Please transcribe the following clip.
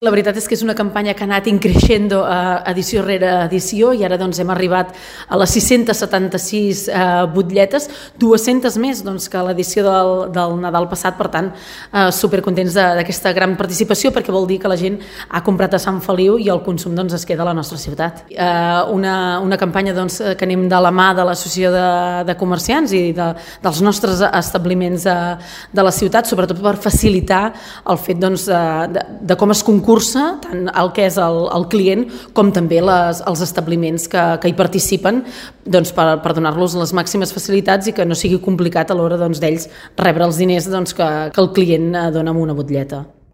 La veritat és que és una campanya que ha anat increixendo edició rere edició i ara hem arribat a les 676 butlletes, 200 més que l'edició del Nadal passat, per tant, supercontents d'aquesta gran participació perquè vol dir que la gent ha comprat a Sant Feliu i el consum es queda a la nostra ciutat. Una campanya que anem de la mà de l'Associació de Comerciants i dels nostres establiments de la ciutat, sobretot per facilitar el fet de com es concursa tant el que és el client com també els establiments que hi participen per donar-los les màximes facilitats i que no sigui complicat a l'hora d'ells rebre els diners que el client dona amb una butlleta.